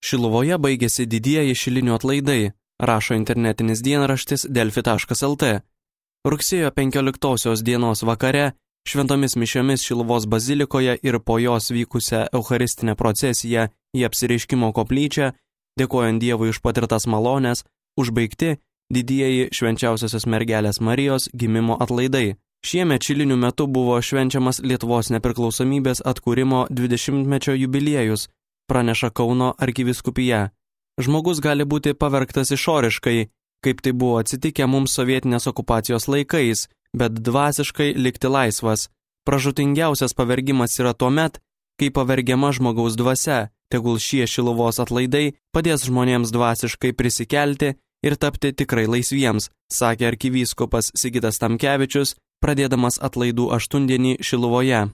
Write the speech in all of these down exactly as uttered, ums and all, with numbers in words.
Šiluvoje baigėsi didieji šilinių atlaidai, rašo internetinis dienraštis delfi taškas lt. Rugsėjo penkioliktosios dienos vakare šventomis mišiomis Šiluvos bazilikoje ir po jos vykusią eucharistinę procesiją į apsireiškimo koplyčią, dėkojant Dievui už patirtas malones, užbaigti didieji švenčiausiosios mergelės Marijos gimimo atlaidai. Šiemet šilinių metu buvo švenčiamas Lietuvos nepriklausomybės atkūrimo dvidešimtmečio jubiliejus, praneša Kauno arkivyskupija. Žmogus gali būti pavergtas išoriškai, kaip tai buvo atsitikę mums sovietinės okupacijos laikais, bet dvasiškai likti laisvas. Pražūtingiausias pavergimas yra tuomet, kai pavergiama žmogaus dvasia, tegul šie Šiluvos atlaidai padės žmonėms dvasiškai prisikelti ir tapti tikrai laisviems, sakė arkivyskupas Sigitas Tamkevičius, pradėdamas atlaidų aštuondienį Šiluvoje.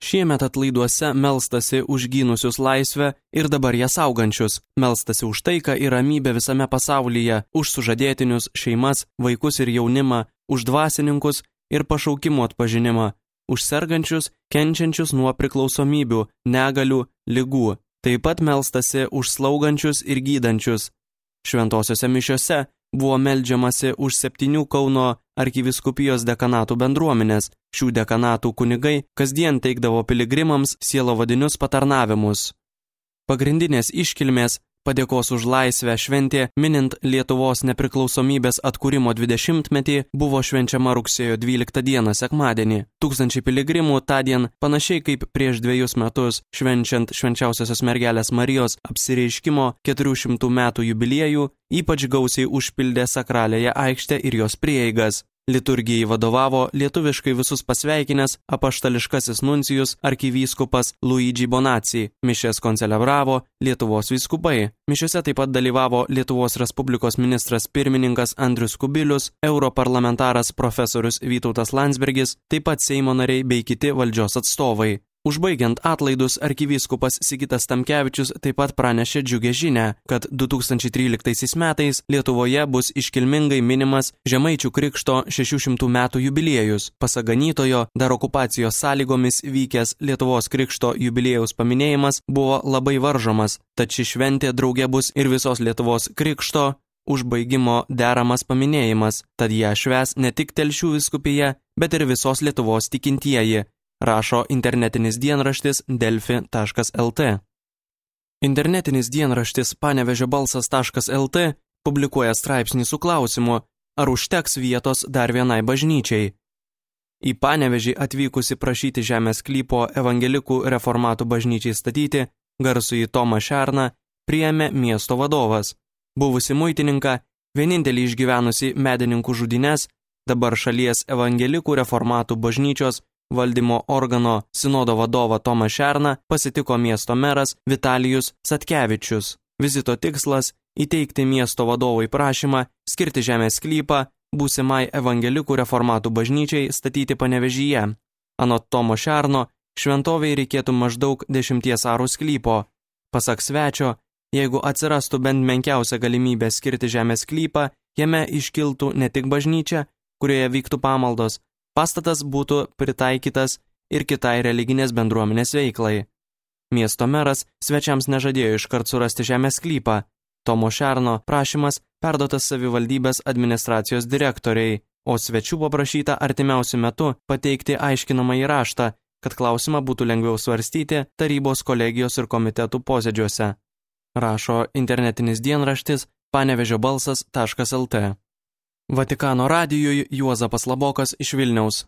Šiemet atlaiduose melstasi už gynusius laisvę ir dabar ją saugančius, melstasi už taiką ir ramybę visame pasaulyje, už sužadėtinius, šeimas, vaikus ir jaunimą, už dvasininkus ir pašaukimų atpažinimą, už sergančius, kenčiančius nuo priklausomybių, negalių, ligų. Taip pat melstasi už slaugančius ir gydančius. Šventosiose mišiose buvo meldžiamasi už septynių Kauno arkivyskupijos dekanatų bendruomenės. Šių dekanatų kunigai kasdien teikdavo piligrimams sielovadinius patarnavimus. Pagrindinės iškilmės padėkos už laisvę šventė minint Lietuvos nepriklausomybės atkūrimo dvidešimtmetį buvo švenčiama rugsėjo dvyliktą dieną sekmadienį. Tūkstančiai piligrimų tądien, panašiai kaip prieš dviejus metus, švenčiant švenčiausiosios mergelės Marijos apsireiškimo keturių šimtų metų jubiliejų, ypač gausiai užpildė sakraliąją aikštę ir jos prieigas. Liturgijai vadovavo lietuviškai visus pasveikinęs apaštališkasis nuncijus arkivyskupas Luigi Bonacci. Mišias koncelebravo Lietuvos vyskupai. Mišiose taip pat dalyvavo Lietuvos Respublikos ministras pirmininkas Andrius Kubilius, europarlamentaras profesorius Vytautas Landsbergis, taip pat Seimo nariai bei kiti valdžios atstovai. Užbaigiant atlaidus, arkivyskupas Sigitas Tamkevičius taip pat pranešė džiugę žinią, kad du tūkstančiai tryliktaisiais metais Lietuvoje bus iškilmingai minimas Žemaičių krikšto šešių šimtų metų jubiliejus. Pasak ganytojo, dar okupacijos sąlygomis vykęs Lietuvos krikšto jubiliejaus paminėjimas buvo labai varžomas, tad ši šventė drauge bus ir visos Lietuvos krikšto užbaigimo deramas paminėjimas, tad ją švęs ne tik Telšių vyskupija, bet ir visos Lietuvos tikintieji, rašo internetinis dienraštis delfi taškas lt. Internetinis dienraštis panevežio balsas taškas lt publikuoja straipsnį su klausimu, ar užteks vietos dar vienai bažnyčiai. Į Panevežį atvykusi prašyti žemės sklypo evangelikų reformatų bažnyčiai statyti, garsųjį Tomą Šerną priėmė miesto vadovas. Buvusi muitininką, vienintelį išgyvenusi medininkų žudynes, dabar šalies evangelikų reformatų bažnyčios valdymo organo sinodo vadovą Tomą Šerną pasitiko miesto meras Vitalijus Satkevičius. Vizito tikslas – įteikti miesto vadovui prašymą skirti žemės sklypą būsimai evangelikų reformatų bažnyčiai statyti Panevežyje. Anot Tomo Šerno, šventovei reikėtų maždaug dešimties arų sklypo. Pasak svečio, jeigu atsirastų bent menkiausia galimybė skirti žemės sklypą, jame iškiltų ne tik bažnyčia, kurioje vyktų pamaldos, pastatas būtų pritaikytas ir kitai religinės bendruomenės veiklai. Miesto meras svečiams nežadėjo iškart surasti žemės sklypą. Tomo Šerno prašymas perduotas savivaldybės administracijos direktoriai, o svečių paprašyta artimiausiu metu pateikti aiškinamąjį raštą, kad klausimą būtų lengviau svarstyti tarybos kolegijos ir komitetų posėdžiuose. Rašo internetinis dienraštis panevežio balsas taškas lt. Vatikano radijui Juozapas Labokas iš Vilniaus.